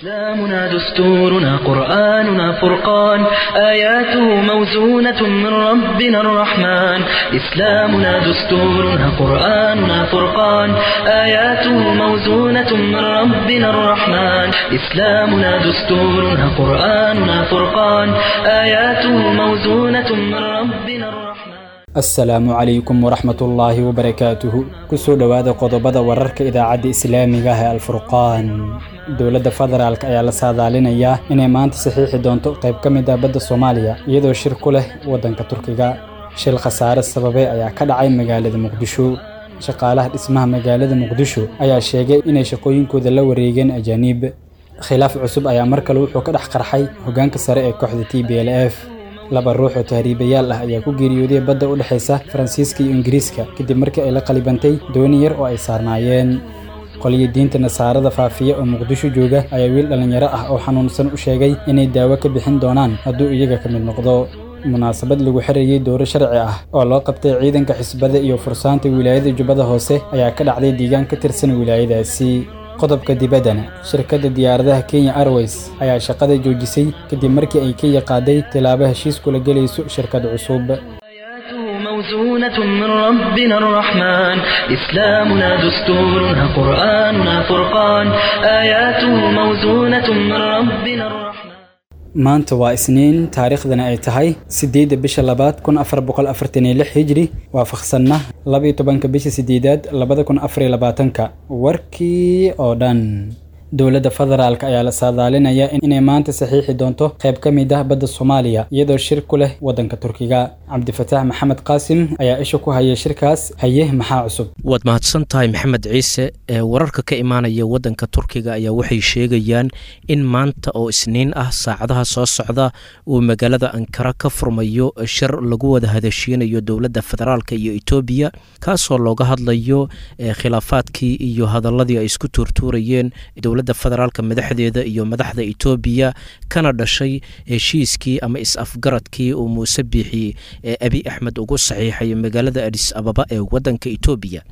إسلامنا دستورنا قرآننا فرقان آياته موزونة من ربنا الرحمن إسلامنا دستورنا قرآننا فرقان آياته موزونة من ربنا الرحمن إسلامنا دستورنا قرآننا فرقان آياته موزونة من ربنا الرحمن. Asalaamu calaykum waraxmatullaahi wabarakaatuhu. Kusoo dhowaada qodobada wararka idaacadda islaamiga ah ee Alfurqaan. Dowladda federaalk ayaa la saadaalinayaa inay maanta saxiixi doonto qayb ka mid ah badda Soomaaliya, iyadoo shir ku leh waddanka Turkiga. Shil khasaare sababay ayaa ka dhacay magaalada Muqdisho. Shaqaalaha dhismaha magaalada Muqdisho ayaa sheegay inay shaqooyinkooda la wareegeen ajaaniib. Khilaaf cusub ayaa mar kale wuxuu ka dhex qarxay hoggaanka sare ee kooxda TPLF. Laba ruux oo tahriibayaal ah ayaa ku geeriyooday badda u dhexaysa Faransiiska iyo Ingiriiska kadib markii ay la qalibantay dooni yar oo ay saarnaayeen. Qoliyo diinta Nasaarada faafiya oo Muqdisho jooga ayaa wiil dhallinyaro ah oo xanuunsan u sheegay inay daawo ka bixin doonaan hadduu iyaga ka mid noqdo. Munaasabad lagu xirayay dowro sharci ah oo loo qabtay ciidanka xisbada iyo fursaanta wilaayada Jubbada Hoose ayaa ka dhacday deegaan ka tirsan wilaayadaasi. Qodobka dibaddana, shirkadda diyaaradaha Kenya Airways ayaa shaqada joojisay kadib markii ay Kenya qaaday tilaabo heshiis kula gelayso shirkad cusub. آياته موزونة من ربنا الرحمن إسلامنا دستورنا قرآننا فرقان آياته موزونة من ربنا الرحمن. Maanta waa Isniin, taariikhdana ay tahay 8-2 1446 Hijri, waafaqsanna 12-ka bisha 8aad 2024-ka. Warkii oo dhan. Dowladda federaalk ayaa la saadaalinayaa inay maanta saxiixi doonto qayb ka mid ah badda Soomaaliya, iyadoo shir ku leh waddanka Turkiga. Cabdifataax Maxamed Qaasim ayaa isha ku haya shirkaas. Haye, maxaa cusub? Waad mahadsan tahay, Maxamed Ciise. Ee wararka ka imaanaya waddanka Turkiga ayaa waxay sheegayaan in maanta oo Isniin ah saacadaha soo socda uu magaalada Ankara ka furmayo shir lagu wada hadashiinayo dowladda federaalka iyo Etoobiya, kaasoo looga hadlayo khilaafaadkii iyo hadaladii ay isku tuurtuurayeen dowladda federaalka madaxdeeda iyo madaxda Etoobiya, kana dhashay heshiiskii ama is-afgaradkii uu Muuse Biixi ee Abi Axmed ugu saxiixay magaalada Adis Ababa ee waddanka Etoobiya.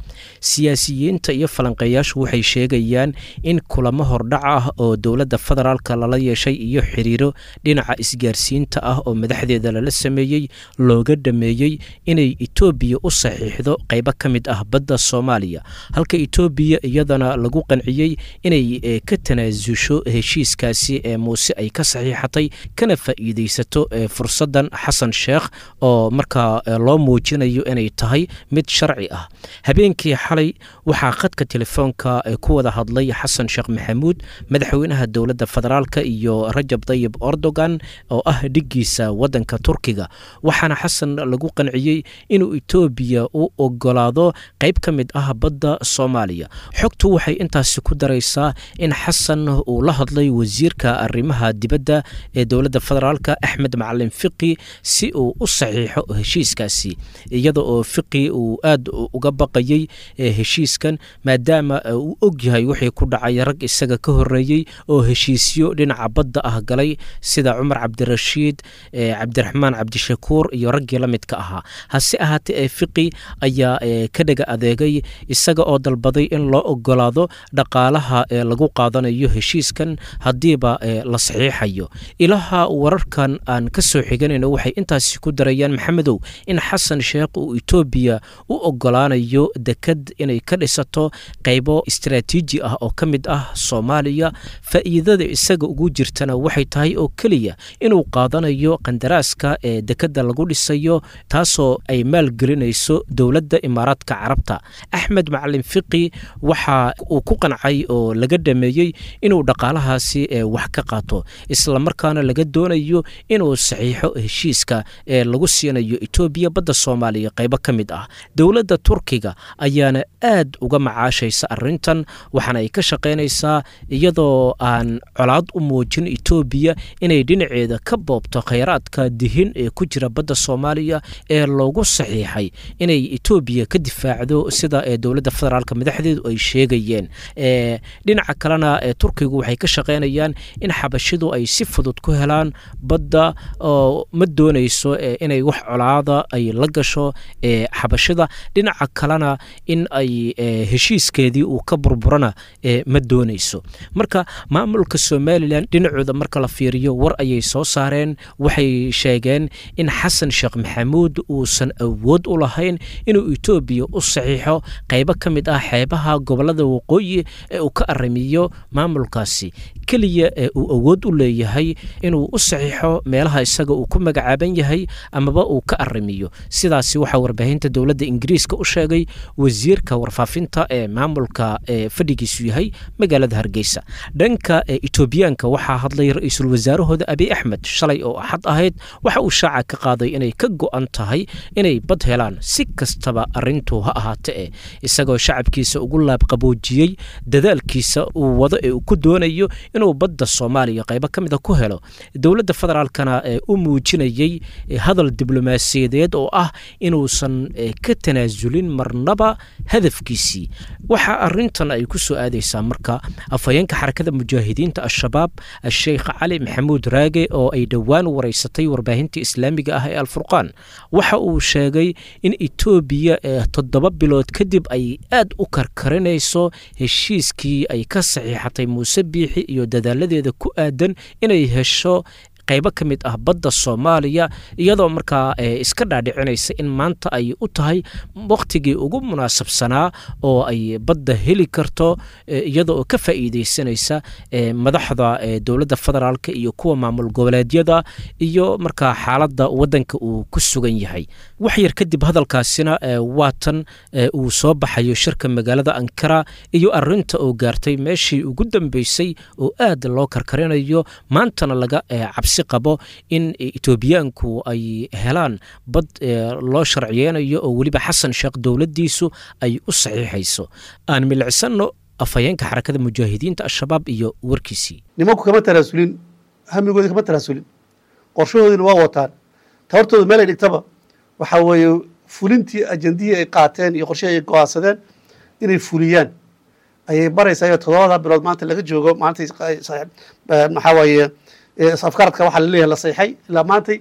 Siyaasiyiinta iyo falanqeeyaashu waxay sheegayaan in kulamo hordhac ah oo dowladda federaalka lala yeeshay iyo xiriiro dhinaca isgaarsiinta ah oo madaxdeeda lala sameeyey looga dhameeyey inay Etoobiya u saxiixdo qaybo ka mid ah badda Soomaaliya, halka Etoobiya iyadana lagu qanciyey inay ka tanaasusho heshiiskaasi ee Muuse ay ka saxiixatay, kana faa'iidaysato fursaddan Xasan Sheekh oo markaa loo muujinayo inay tahay mid sharci ah. Habeenkii xalay waxaa khadka telefoonka ku wada hadlay Xasan Sheekh Maxamuud, madaxweynaha dowladda federaalka, iyo Rajab Dayib Erdogan oo ah dhiggiisa waddanka Turkiga, waxaana Xasan lagu qanciyey inuu Etoobiya u ogolaado qayb ka mid ah badda Soomaaliya. Xogtu waxay intaasi ku daraysaa in Xasan uu la hadlay wasiirka arrimaha dibadda ee dowladda federaalka, Axmed Macalin Fiqi, si uu u saxiixo heshiiskaasi, iyada oo Fiqi uu aad uga baqayey heshiiskan, maadaama uu ogyahay wixii ku dhacay rag isaga ka horreeyey oo heshiisyo dhinaca badda ah galay, sida Cumar Cabdirashiid, Cabdiraxmaan Cabdishakuur iyo raggii la midka ahaa. Hase ahaatee ee Fiqi ayaa ka dhaga adeegay, isaga oo dalbaday in loo ogolaado dhaqaalaha ee lagu qaadanayo heshiiskan haddiiba la saxiixayo. Ilaha wararkan aan ka soo xiganayno waxay intaasi ku darayaan, Maxamedow, in Xasan Sheekh uu Etoobiya u ogolaanayo dekad inay ka dhisato qaybo istaraatiiji ah oo ka mid ah Soomaaliya. Faa'iidada isaga ugu jirtana waxay tahay oo keliya inuu qaadanayo qandaraaska ee dekadda lagu dhisayo, taasoo ay maalgelinayso dowladda Imaaraadka Carabta. Axmed Macalin Fiqi waxa uu ku qancay oo laga dhameeyey inuu dhaqaalahaasi wax ka qaato, islamarkaana laga doonayo inuu saxiixo heshiiska ee lagu siinayo Etoobiya badda Soomaaliya qaybo ka mid ah. Dowladda Turkiga ayaana aad uga macaashaysa arrintan, waxaana ay ka shaqaynaysaa, iyadoo aan colaad u muujin Etoobiya, inay dhinaceeda ka boobto khayraadka dihin ee ku jira badda Soomaaliya ee loogu saxiixay inay Etoobiya ka difaacdo, sida ee dowladda federaalka madaxdeedu ay sheegayeen. Dhinaca kalena Turkigu waxay ka shaqaynayaan in xabashidu ay si fudud ku helaan badda, oo ma doonayso inay wax colaada ay la gasho xabashida, dhinaca kalena in ay heshiiskeedii uu ka burburana ma doonayso. Marka maamulka Somalilan dhinacooda marka la fiiriyo, war ayay soo saareen. Waxay sheegeen in Xasan Sheekh Maxamuud uusan awood u lahayn inuu Etoobiya u saxiixo qaybo ka mid ah xeebaha gobolada waqooyi ee uu ka aramiyo maamulkaasi. Keliya ee uu awood u leeyahay inuu u saxiixo meelaha isaga uu ku magacaaban yahay amaba uu ka aramiyo. Sidaasi waxaa warbaahinta dowladda Ingiriiska u sheegay wasiirka warfaafinta ee maamulka ee fadhigiisu yahay magaalada Hargeysa. Dhanka Etoobiyaanka waxaa hadlay ra-iisul wasaarahooda Abiy Axmed shalay oo Axad ahayd. Waxa uu shaaca ka qaaday inay ka go'an tahay inay bad helaan si kastaba arrintu ha ahaate, e isagoo shacabkiisa ugu laabqaboojiyey dadaalkiisa uu wado ee uu ku doonayo inuu badda Soomaaliya qaybo ka mida ku helo. Dowladda federaalkana ee u muujinayey hadal diblomaasiyadeed oo ah inuusan ka tanaasulin marnaba hadafkiisii. Waxaa arrintan ay ku soo aadaysaa marka afhayeenka Xarakada Mujaahidiinta Al-Shabaab, Asheikh Cali Maxamuud Raage, oo ay dhowaan wareysatay warbaahinta islaamiga ah ee Alfurqaan, waxa uu sheegay in Etoobiya 7 bilood kadib ay aad u karkarinayso heshiiskii ay ka saxiixatay Muuse Biixi iyo dadaaladeeda ku aadan inay hesho qaybo ka mid ah badda Soomaaliya, iyadoo markaa iska dhaadhicinaysa in maanta ay u tahay wakhtigii ugu munaasabsanaa oo ay badda heli karto, iyada oo ka faa'iideysanaysa madaxda dowladda federaalka iyo kuwa maamul goboleedyada iyo markaa xaaladda waddanka uu ku sugan yahay. Wax yar kadib hadalkaasina waatan uu soo baxayo shirka magaalada Ankara iyo arinta oo gaartay meeshii ugu dambeysay oo aad loo karkarinayo, maantana laga cabsi qabo in Etoobiyaanku ay helaan bad loo sharciyeynayo oo weliba Xasan Sheekh dowladdiisu ay u saxiixayso. Aan milicsanno afhayeenka Xarakada Mujaahidiinta Al-Shabaab iyo warkiisii. Nimanku kama tanaasulin hamigoodi, kama tanaasulin qorshahoodina, waa wataan tabartooda meel ay dhigtaba. Waxaa weeye fulintii ajandihii ay qaateen iyo qorshihii ay go-aansadeen inay fuliyaan ayay baraysaa. Iyo 7da bilood maanta laga joogo, maanta maxaa waaye afkaradka waxaa laleeyahay la sayxay, ilaa maantay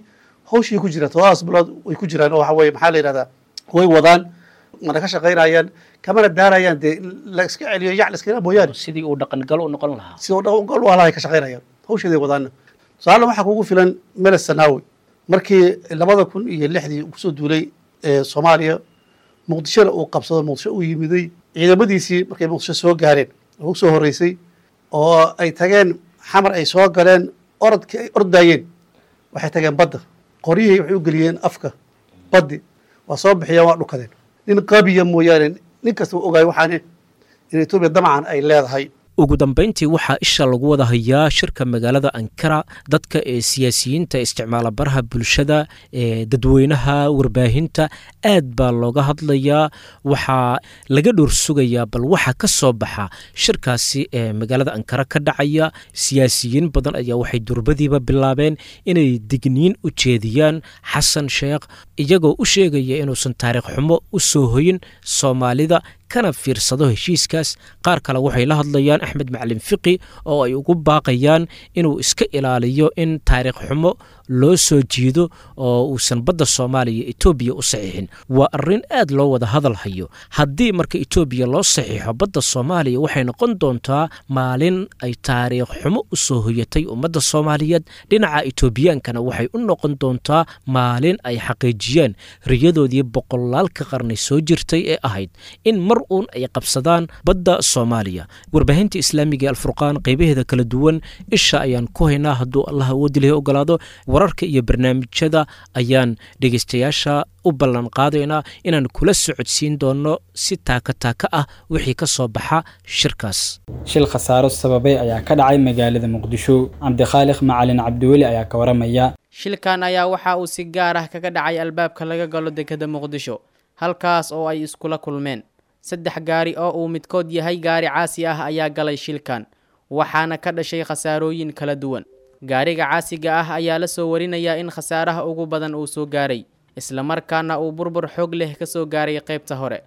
hawshii ku jiraan 7daas bilood way ku jiraan, oo waxa weye maxaa la yidhahdaa way wadaan, mana ka shaqaynayaan kamana daarayaan dee in la iska celiyo yac la iska mooyaane. Sidii uu dhaqangal u noqon lahaa, sidii uu dhaqangal u lahaa ka shaqaynayaan, hawsheeday wadaana. Tusaale waxaa kugu filan Meles Sanaawi markii 2006dii kusoo duulay Soomaaliya, Muqdishona uu qabsado, Muqdisho uu yimiday. Ciidamadiisii markay Muqdisho soo gaareen oo usoo horreysay oo ay tageen Xamar, ay soo galeen, orodkii ay ordaayeen waxay tageen badda, qoryihii waxay u geliyeen afka baddi, waa soo bixiyeen, waa dhukadeen. Nin qabiya mooyaane nin kasta uu ogaay waxaan in Etoobiya damcan ay leedahay. Ugu dambeyntii waxaa isha lagu wada hayaa shirka magaalada Ankara. Dadka ee siyaasiyiinta isticmaala baraha bulshada, ee dadweynaha, warbaahinta aad baa looga hadlayaa. Waxaa laga dhowr sugayaa bal waxa ka soo baxa shirkaasi ee magaalada Ankara ka dhacaya. Siyaasiyiin badan ayaa waxay durbadiiba bilaabeen inay digniin u jeediyaan Xasan Sheekh, iyagoo u sheegaya inuusan taariikh xumo u soo hoyin Soomaalida kana fiirsado heshiiskaas. Qaar kale waxay la hadlayaan Axmed Macalin Fiqi oo ay ugu baaqayaan inuu iska ilaaliyo in taariikh xumo loo soo jiido oo uusan badda Soomaaliya Etoobiya u saxiixin. Waa arrin aad loo wada hadal hayo. Haddii marka Etoobiya loo saxiixo badda Soomaaliya, waxay noqon doontaa maalin ay taariikh xumo u soo hoyatay ummadda Soomaaliyeed. Dhinaca Etoobiyaankana waxay u noqon doontaa maalin ay xaqiijiyeen riyadoodii boqolaalka qarni soo jirtay ee ahayd in mar uun ay qabsadaan badda Soomaaliya. Warbaahinta islaamiga ee Alfurqaan qaybaheeda kala duwan isha ayaan ku haynaa. Hadduu Allah awoodi lihi ogolaado, wararka iyo barnaamijyada ayaan dhegeystayaasha u ballan qaadaynaa inaan kula socodsiin doono si taaka taaka ah wixii ka soo baxa shirkaas. Shil khasaaro sababay ayaa ka dhacay magaalada Muqdisho. Cabdikhaaliq Macalin Cabdiweli ayaa ka waramaya. Shilkan ayaa waxa uu si gaar ah kaga dhacay albaabka laga galo dekeda Muqdisho, halkaas oo ay iskula kulmeen 3 gaari oo uu midkood yahay gaari caasi ah ayaa galay shilkan, waxaana ka dhashay khasaarooyin kala duwan. Gaariga caasiga ah ayaa la soo warinayaa in khasaaraha ugu badan uu soo gaaray, islamarkaana uu burbur xoog leh ka soo gaaray qaybta hore.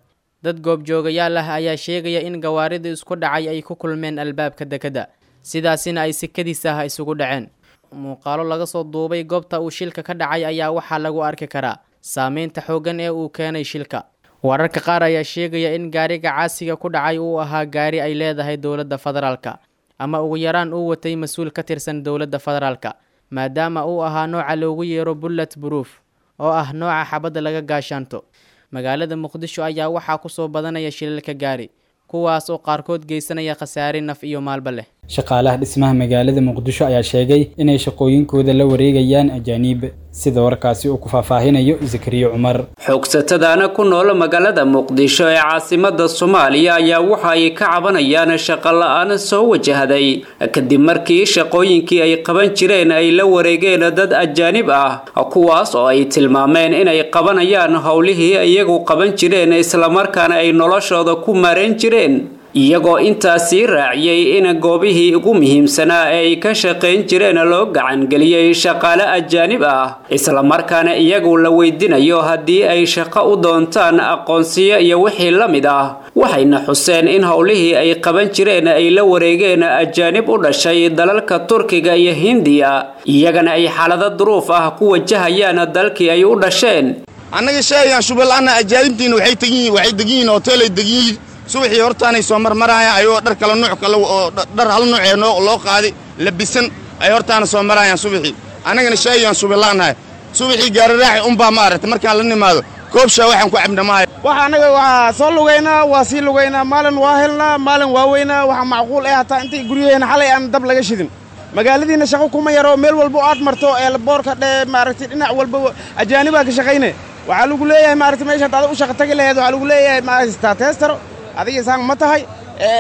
Dad goobjoogayaal ah ayaa sheegaya in gawaarida isku dhacay ay ku kulmeen albaabka dekeda, sidaasina ay sikadiis ah isugu dhaceen. Muuqaalo laga soo duubay goobta uu shilka ka dhacay ayaa waxaa lagu arki karaa saameynta xooggan ee uu keenay shilka. Wararka qaar ayaa sheegaya in gaariga caasiga ku dhacay uu ahaa gaari ay leedahay dowladda federaalka, ama ugu yaraan uu watay mas-uul ka tirsan dowladda federaalka, maadaama uu ahaa nooca loogu yeero bullet proof oo ah nooca xabadda laga gaashaanto. Magaalada Muqdisho ayaa waxaa kusoo badanaya shilalka gaari, kuwaas oo qaarkood geysanaya khasaare naf iyo maalba leh. Shaqaalaha dhismaha magaalada Muqdisho ayaa sheegay inay shaqooyinkooda la wareegayaan ajaaniib, sida warkaasi uu ku faahfaahinayo Zakariya Cumar. Xoogsatadaana ku nool magaalada Muqdisho ee caasimada Soomaaliya ayaa waxa ay ka cabanayaan shaqo la'aan soo wajahday kadib markii shaqooyinkii ay qaban jireen ay la wareegeen dad ajaanib ah, kuwaas oo ay tilmaameen inay qabanayaan howlihii iyagu qaban jireen islamarkaana ay noloshooda ku maareen jireen, iyagoo intaasii raaciyey in goobihii ugu muhiimsanaa ee ay ka shaqayn jireen loo gacangeliyey shaqaale ajaanib ah, islamarkaana iyagu la weydiinayo haddii ay shaqo u doontaan aqoonsiyo iyo wixii la mid ah. Waxayna xuseen in howlihii ay qaban jireen ay la wareegeen ajaanib u dhashay dalalka Turkiga iyo Hindiya, iyagana ay xaalado duruuf ah ku wajahayaan dalkii ay u dhasheen. Annaga sheegaan shubalaana ajaanibtiina waxay degan yihiin hoteelay degan yihiin. Subaxii hortaanay soo marmarayaan ayagoo dhar kala nuuc kale oo dhar hal nuuc ee loo qaaday labisan ay hortaana soo marayaan subaxii. Annagana shaayaan subilaanahay subaxii gaari raaci unbaa ma aragtay markaan la nimaado koob shaa waxaan ku cabna maayo. Waxa annaga waa soo lugaynaa, waa sii lugaynaa, maalin waa helnaa, maalin waa weynaa. Waxa macquul eh hataa intay guryaheena xalay aan dab laga shidin. Magaaladiina shaqo kuma yaro, meel walba aad marto ee boorka dhee maaragtay dhinac walba ajaanibaa ka shaqayne. Waxaa lagu leeyahay maaragtay meesha hadaad u shaqo tagi laheed waxaa lagu leeyahay maaragtay teestaro adiga saan ma tahay,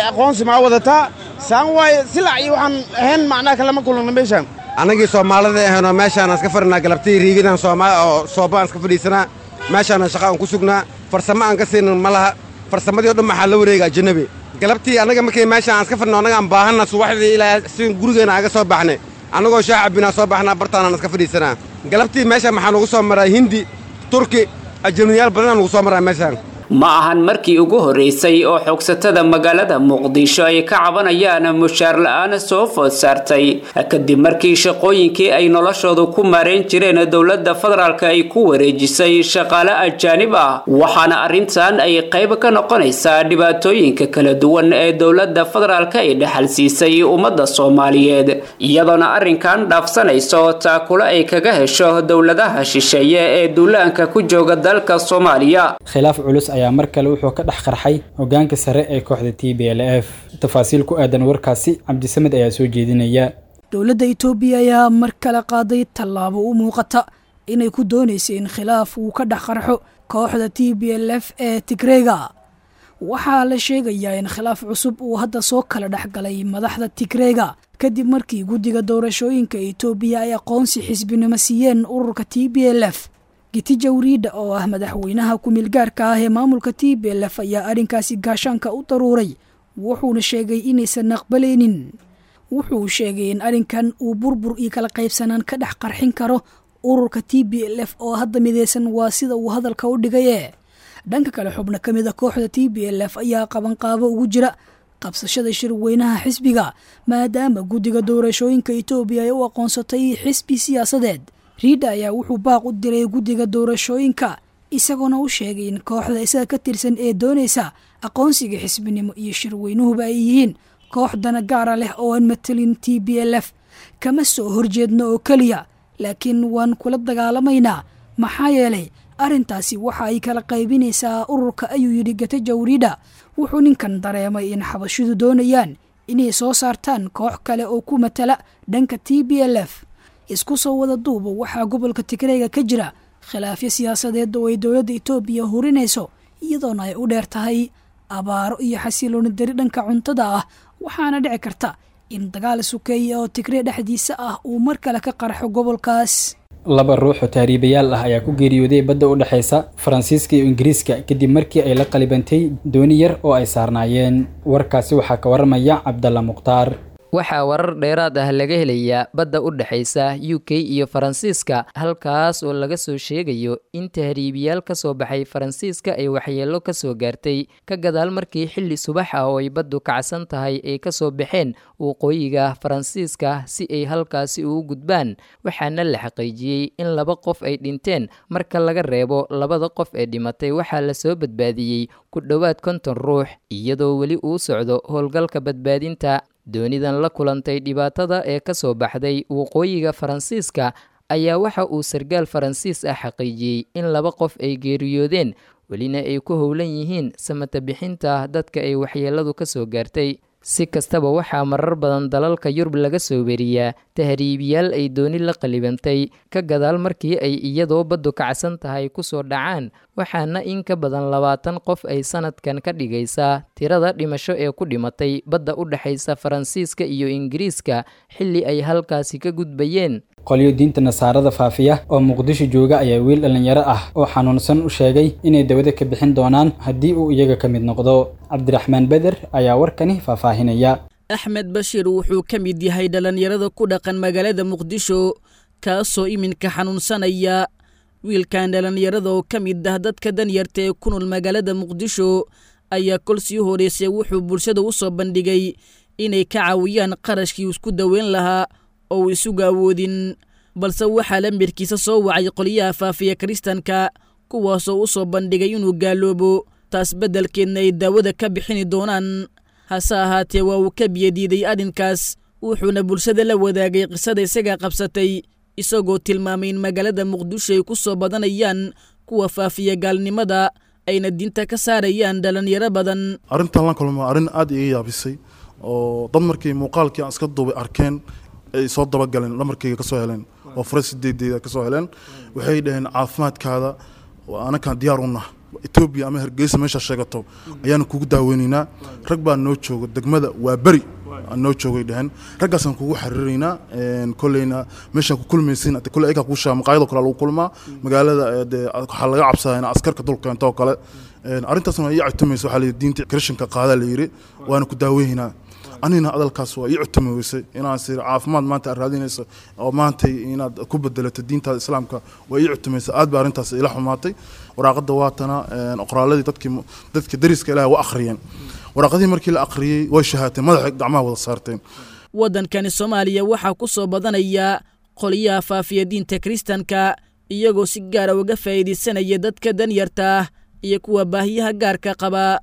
aqoonsi maa wadataa, saan waaye silac iyo waxaan ahayn macnaha kalama kulana meeshaan. Annagii Soomaalida ahaynoo meeshaan iska fadhinaa galabtii riigidan oo sooba aan iska fadhiisanaa, meeshaana shaqa aan ku sugnaa, farsamo aan ka siinin ma laha. Farsamadii o dhan maxaa la wareega ajanabi. Galabtii annaga markay meeshaan aan iska fadhino annaga aan baahanna subaxdii ilaa si gurigeena aan ga soo baxnay annagoo shaah cabbinaa soo baxnaa bartaanaan iska fadhiisanaa. Galabtii meeshaan maxaa nugu soo maraa Hindi, Turki, ajanabiyaal badanaa nugu soo maraa meeshaan. Ma ahan markii ugu horreysay oo xoogsatada magaalada Muqdisho ay ka cabanayaan mushaar la'aan soo food saartay kadib markii shaqooyinkii ay noloshooda ku maareen jireen dowladda federaalka ay ku wareejisay shaqaale ajaanib ah, waxaana arrintan ay qayb ka noqonaysaa dhibaatooyinka kala duwan ee dowladda federaalka ay dhaxal siisay ummadda Soomaaliyeed, iyadoona arrinkan dhaafsanayso taakulo ay kaga hesho dowladaha shisheeye ee duulaanka ku jooga dalka Soomaaliya. Khilaaf culus ayaa mar kale wuxuu ka dhex qarxay hoggaanka sare ee kooxda TPLF. Tafaasiil ku aadan warkaasi Cabdisamed ayaa soo jeedinaya. Dowladda Itoobiya ayaa mar kale qaaday tallaabo u muuqata inay ku doonaysay in khilaaf uu ka dhex qarxo kooxda TPLF ee Tigreega. Waxaa la sheegayaa in khilaaf cusub uu hadda soo kala dhex galay madaxda Tigreega kadib markii guddiga doorashooyinka Itoobiya ay aqoonsi xisbinimo siiyeen ururka TPLF. Gitija Wriida oo ah madaxweynaha ku-meelgaarka ah ee maamulka TPLF ayaa arrinkaasi gaashaanka u daruuray, wuxuuna sheegay inaysan aqbalaynin. Wuxuu sheegay in arrinkan uu burbur iyo kala qaybsanaan ka dhex qarxin karo ururka TPLF oo hadda mideysan, waa sida uu hadalka u dhigaye. Dhanka kale, xubno ka mid a kooxda TPLF ayaa qabanqaabo ugu jira qabsashada shirweynaha xisbiga, maadaama guddiga doorashooyinka Itoobiya ay u aqoonsatay xisbi siyaasadeed. Riida ayaa wuxuu baaq u diray guddiga doorashooyinka, isagoona u sheegay in kooxda isaga ka tirsan ee doonaysa aqoonsiga xisbinimo iyo shirweynuhuba ay yihiin koox dana gaara leh oo aan matelin TPLF. Kama soo horjeedno oo keliya, laakiin waan kula dagaalamaynaa, maxaa yeelay arrintaasi waxa ay kala qaybinaysaa ururka, ayuu yidhi Gataja Wriida. Wuxuu ninkan dareemay in xabashidu doonayaan inay soo saartaan koox kale oo ku matala dhanka TPLF. Isku soo wada duuba, waxaa gobolka Tigreega ka jira khilaafyo siyaasadeed oo ay dowladda Itoobiya hurinayso, iyadoona ay u dheer tahay abaaro iyo xasilooni dari dhanka cuntada ah, waxaana dhici karta in dagaal sukeeya oo Tigree dhexdiisa ah uu mar kale ka qarxo gobolkaas. Laba ruux oo tahriibayaal ah ayaa ku geeriyooday badda u dhexeysa Faransiiska iyo Ingiriiska kadib markii ay la qalibantay dooni yar oo ay saarnaayeen. Warkaasi waxaa ka waramaya Cabdalla Mukhtaar. Waxaa warar dheeraad ah laga helayaa badda u dhexaysa UK iyo Faransiiska, halkaas oo laga soo sheegayo in tahriibiyaal ka soo baxay Faransiiska ay waxyeello ka soo gaartay ka gadaal markii xilli subax ah oo ay baddu kacsan tahay ay ka soo baxeen waqooyiga Faransiiska si ay halkaasi ugu gudbaan. Waxaana la xaqiijiyey in 2 qof ay dhinteen. Marka laga reebo 2da qof ee dhimatay, waxaa lasoo badbaadiyey ku dhowaad 50 ruux, iyadoo weli uu socdo howlgalka badbaadinta. Doonidan la kulantay dhibaatada ee ka soo baxday waqooyiga Faransiiska ayaa waxa uu sarkaal Faransiis ah xaqiijiyey in 2 qof ay geeriyoodeen, welina ay ku howlan yihiin samata bixinta dadka ay waxyeelladu ka soo gaartay. Si kastaba, waxaa marar badan dalalka Yurub laga soo weriyaa tahriibiyaal ay dooni la qalibantay ka gadaal markii ay iyadoo baddu kacsan tahay kusoo dhacaan, waxaana in ka badan 20 qof ay sanadkan ka dhigaysaa tirada dhimasho ee ku dhimatay badda u dhexaysa Faransiiska iyo Ingiriiska xilli ay halkaasi ka gudbayeen. Qolyo diinta nasaarada faafiya oo Muqdisho jooga ayaa wiil dhallinyaro ah oo xanuunsan u sheegay inay dawada ka bixin doonaan haddii uu iyaga ka mid noqdo. Cabdiraxmaan Beder ayaa warkani faahfaahinaya. Axmed Bashiir wuxuu ka mid yahay dhallinyarada ku dhaqan magaalada Muqdisho, kaasoo iminka xanuunsanaya. Wiilkan dhallinyarada oo ka mid ah dadka danyarta ee ku nool magaalada Muqdisho ayaa kol sii horeysay wuxuu bulshada u soo bandhigay inay ka caawiyaan qarashkii isku daweyn lahaa oo uu isugu awoodin, balse waxaa lamirkiisa soo wacay qolyaha faafiya kiristanka, kuwaasoo u soo bandhigay inuu gaaloobo, taas beddelkeedna ay daawada ka bixini doonaan. Hase ahaatee waa uu ka biyadiiday arrinkaas, wuxuuna bulshada la wadaagay qisada isagaa qabsatay, isagoo tilmaamay in magaalada Muqdisho ay ku soo badanayaan kuwa faafiya gaalnimada ayna diinta ka saarayaan dhallinyaro badan. Arrintan la kulma arrin aad iga yaabisay oo dad markii muuqaalkii aan iska duubay arkeen ay soo dabagaleen, lamarkayga ka soo heleen oo fure 8deeda ka soo heleen. Waxay dhaheen caafimaadkaada anakaan diyaar u nah, Etoobiya ama Hargeysa meeshaa sheegato ayaanu kugu daaweynaynaa, rag baa noo jooga degmada waa beri noo joogay dhaheen, raggaasaan kugu xariiraynaa, kolleyna meeshaan ku kulmaysin kolley ayagaa kuu sheega, maqaayadoo kale lagu kulmaa magaalada, dee waxaa laga cabsadaa in askarka dul keento oo kale. Arrintaasna waa ii catumaysa, waxaa layidhi diinta krishanka qaadaa la yidhi, waana ku daaweynaa. Anina hadalkaas waa ii cutumi weysay inaan sir caafimaad maanta aad raadinayso oo maantay inaad ku bedelato diintaada islaamka waa ii cutumaysa. Aad baa arrintaas ila xumaatay. Waraaqadda waatana, qoraaladii dadkii dariska ilaahay waa akhriyeen. Waraaqadii markii la akhriyey way shahaateen, madaxa gacmaha wada saarteen. Waddankani Soomaaliya waxaa ku soo badanaya qolyaha faafiya diinta kiristanka, iyagoo si gaara uga faa'iidaysanaya dadka danyarta ah iyo kuwa baahiyaha gaarka qaba.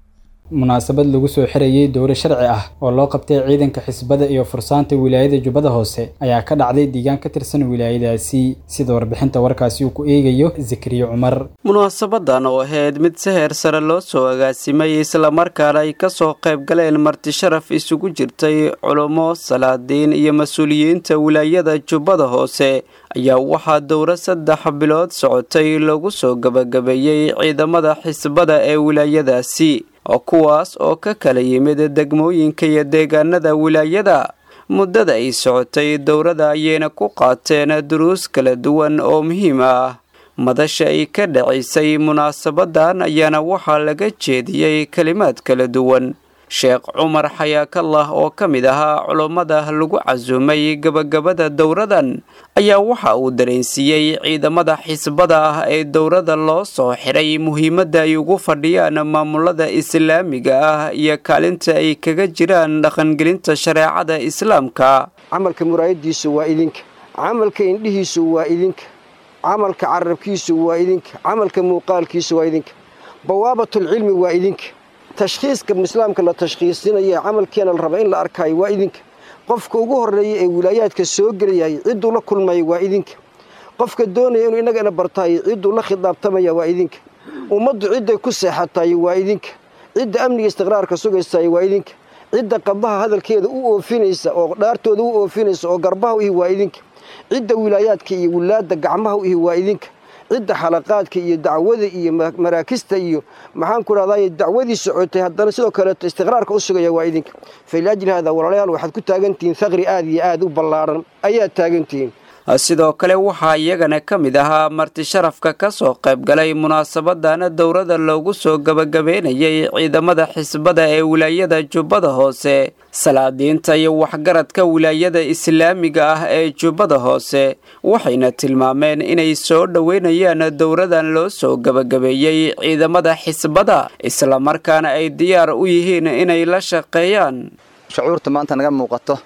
Munaasabad lagu soo xirayey dowro sharci ah oo loo qabtay ciidanka xisbada iyo fursaanta wilaayada Jubbada Hoose ayaa ka dhacday deegaan ka tirsan wilaayadaasi, sida warbixinta warkaasi uu ku eegayo Zakariya Cumar. Munaasabadan oo ahayd mid si heer sare loo soo agaasimay islamarkaana ay ka soo qayb galeen marti sharaf isugu jirtay culummo, salaadiin iyo mas-uuliyiinta wilaayada Jubbada Hoose ayaa waxaa dowro 3 bilood socotay lagu soo gabagabeeyey ciidamada xisbada ee wilaayadaasi, oo kuwaas oo ka kala yimid degmooyinka iyo deegaanada wilaayada. Muddada ay socotay dowrada ayayna ku qaateen duruus kala duwan oo muhiim ah. Madasha ay ka dhacaysay munaasabadan ayaana waxaa laga jeediyey kalimaad kala duwan. Sheekh Cumar Xayaakallah oo ka mid ahaa culummada lagu casuumay gabagabada dowradan ayaa waxa uu dareensiiyey ciidamada xisbada ah ee dowrada loo soo xiray muhiimadda ay ugu fadhiyaan maamulada islaamiga ah iyo kaalinta ay kaga jiraan dhaqangelinta shareecada islaamka. Camalka muraayadiisu waa idinka, camalka indhihiisu waa idinka, camalka carabkiisu waa idinka, camalka muuqaalkiisu waa idinka, bawaabatulcilmi waa idinka, tashkhiiska islaamka la tashkhiisinaya camalkeena la raba in la arkaayo waa idinka, qofka ugu horreeya ee wilaayaadka soo gelayay cidduu la kulmaya waa idinka, qofka doonaya inuu innagana bartaayo cidduu la khidaabtamaya waa idinka, ummaddu cidday ku seexatayo waa idinka, cidda amniga istiqraarka sugaysayo waa idinka, cidda qadaha hadalkeeda u oofinaysa oo dhaartooda u oofinaysa oo garbaha u ihi waa idinka, cidda wilaayaadka iyo wilaadda gacmaha u ihi waa idinka, cidda xalaqaadka iyo dacwada iyo maraakista iyo maxaan ku dhahdaa dacwadii socotay haddana sidoo kaleeto istiqraarka u sugaya waa idinka. Faliajli haadaa walaalayaal waxaad ku taagantihiin thaqri aad iyo aad u ballaaran ayaad taagantihiin. Sidoo kale waxaa iyagana ka mid ahaa marti sharafka ka soo qayb galay munaasabadan dowrada loogu soo gabagabeynayay ciidamada xisbada ee wilaayada Jubbada Hoose, salaadiinta iyo waxgaradka wilaayada islaamiga ah ee Jubbada Hoose, waxayna tilmaameen inay soo dhoweynayaan dowradan loo soo gabagabeeyey ciidamada xisbada, islamarkaana ay diyaar u yihiin inay la shaqeeyaan. Shucuurta maanta naga muuqato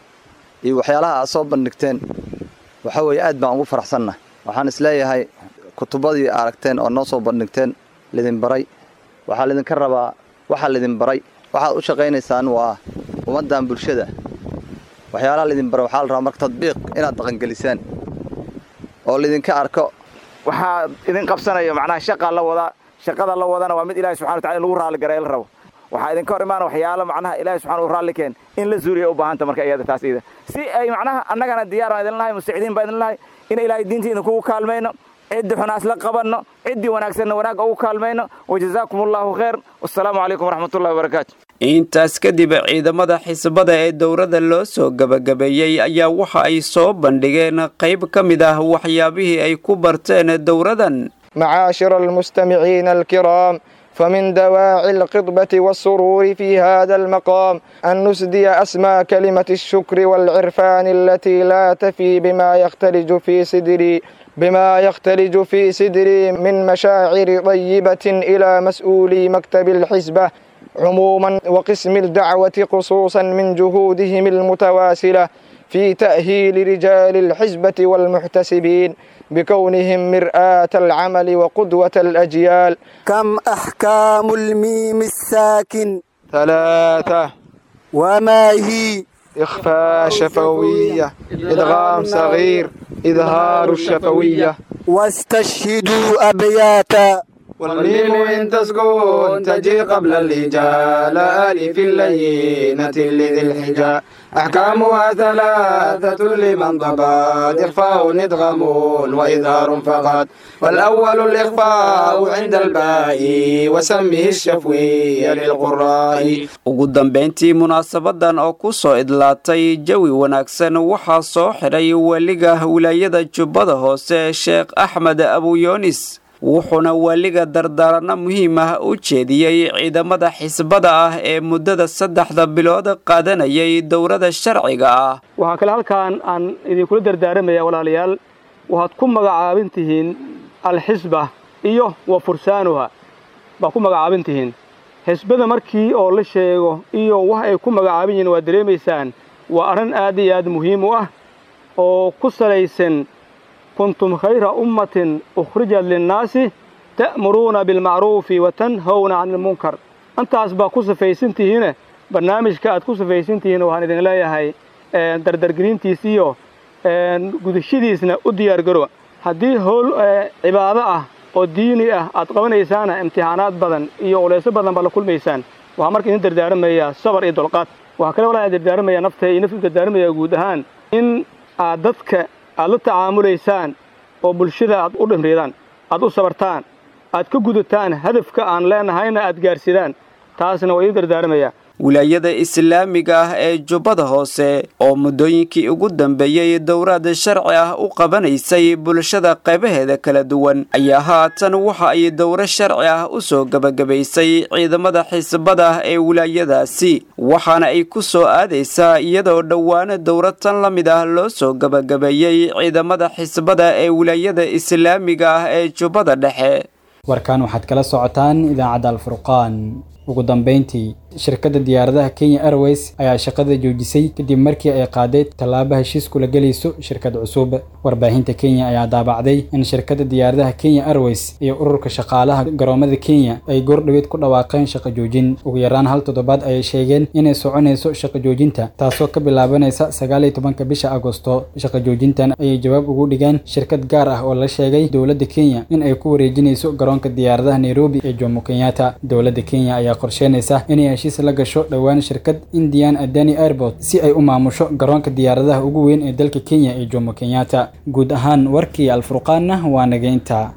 iyo waxyaalaha aad soo bandhigteen waxaa weeye aad baan ugu faraxsannahay. Waxaan isleeyahay kutubadii aragteen oo noo soo bandhigteen lidin baray, waxaa lidinka rabaa waxaa lidin baray, waxaad u shaqaynaysaan waa ummaddan bulshada. Waxyaalaha lidin baray waxaa la rabaa marka tadbiiq inaad dhaqangelisaan oo lidinka arko. Waxaa idin qabsanayo macnaha shaqaa la wadaa, shaqada la wadana waa mid Ilaahay subxana watacala in lagu raalli garay la rabo. Waxaa idinka hor imaana waxyaalo macnaha Ilaahay subxana u raalli keen in la zuuriya u baahanta marka iyada taas iyada si ay macnaha annagana diyaar baan idin lahay, mustacdiin baan idin lahay in Ilaahay diinta idinkugu kaalmayno, ciddii xunaas la qabanno, ciddii wanaagsanna wanaagga ugu kaalmayno. Wajazaakum allahu khayr, wassalaamu calaykum waraxmatullahi wabarakaatu. Intaas kadib ciidamada xisbada ee dowrada loo soo gabagabeeyey ayaa waxa ay soo bandhigeen qayb ka mid ah waxyaabihii ay ku barteen dowradan. معاشر المستمعين الكرام، فمن دواعي القطبة والسرور في هذا المقام أن نسدي أسمى كلمة الشكر والعرفان التي لا تفي بما يختلج في صدري من مشاعر طيبة إلى مسؤولي مكتب الحزبة عموما وقسم الدعوة خصوصا من جهودهم المتواصلة في تأهيل رجال الحزبة والمحتسبين بكونهم مرآة العمل وقدوة الأجيال. كم أحكام الميم الساكن؟ 3. وما هي؟ إخفاء شفوية، إدغام صغير، إظهار الشفوية. واستشهدوا أبياتا. والميم إن تسكن تجي قبل الهجاء، لا ألف اللينة لذي الحجاء. أحكامها 3 لمن ضبط، إخفاء إدغام وإظهار فقط. والأول الإخفاء عند الباء وسمه الشفوي للقراء. Ugu dambeyntii munaasabadan oo ku soo idlaatay jawi wanaagsan waxaa soo xidhay weliga wilaayada Jubbada Hoose, Sheekh Axmed Abuyoonis, wuxuuna waaliga dardaaranno muhiim ah u jeediyey ciidamada xisbada ah ee muddada 3 bilood qaadanayay dowrada sharciga ah. Waxaa kale halkaan aan idinkula dardaaramaya walaalayaal, waxaad ku magacaabin tihiin alxisba iyo wa fursaanuha baa ku magacaabin tihiin. Xisbada markii oo la sheego iyo wax ay ku magacaabin yihiin waad dareemaysaan, waa arrin aad iyo aad muhiim u ah oo ku salaysan kuntum khayra ummatin ukhrijat linnaasi ta'muruuna bilmacruufi wa tanhawna cani ilmunkar. Intaas baa ku safaysan tihiine, barnaamijka aad ku safaysan tihiin waxaan idin leeyahay dardargelintiis iyo gudashadiisna u diyaargarowa. Haddii howl cibaado ah oo diini ah aad qabanaysaana imtixaanaad badan iyo culeysyo badan baa la kulmaysaan. Waxaa marka idin dardaaramayaa sabar iyo dulqaad. Waxaa kale walaa dardaaramayaa nafta iyo nafta dardaaramayaa guud ahaan in aad dadka aad la tacaamulaysaan oo bulshada aad u dhimriidaan, aad u sabartaan, aad ka gudataan hadafka aan leenahayna aad gaarsidaan, taasna waa idin dardaaramayaa. Wilaayada islaamiga ah ee Jubbada Hoose oo muddooyinkii ugu dambeeyey dowraad sharci ah u qabanaysay bulshada qaybaheeda kala duwan ayaa haatan waxa ay dowro sharci ah u soo gabagabaysay ciidamada xisbada ee wilaayadaasi, waxaana ay ku soo aadaysaa iyadoo dhowaana dowro tan la mid ah loo soo gabagabeeyey ciidamada xisbada ee wilaayada islaamiga ah ee Jubbada Dhexe. Warkaan waxaad kala socotaan idaacadda Alfurqaan. Ugu dambeyntii, shirkadda diyaaradaha Kenya Airways ayaa shaqada joojisay kadib markii ay qaaday tallaabo heshiis kula gelayso shirkad cusub. Warbaahinta Kenya ayaa daabacday in shirkadda diyaaradaha Kenya Airways iyo ururka shaqaalaha garoomada Kenya ay goordhoweed ku dhawaaqeen shaqo joojin. Ugu yaraan hal toddobaad ayay sheegeen inay soconayso shaqo joojinta, taasoo ka bilaabanaysa 19-ka bisha Agosto. Shaqo joojintan ayay jawaab ugu dhigeen shirkad gaar ah oo la sheegay dowladda Kenya in ay ku wareejinayso garoonka diyaaradaha Nairobi ee Jomo Kenyatta. Dowladda Kenya ayaa qorsheynaysa inay heshiis la gasho dhowaan shirkad Indian Adani Airport si ay u maamusho garoonka diyaaradaha ugu weyn ee dalka Kenya ee Jomo Kenyatta. Guud ahaan warkii Alfurqaanna waa nageynta.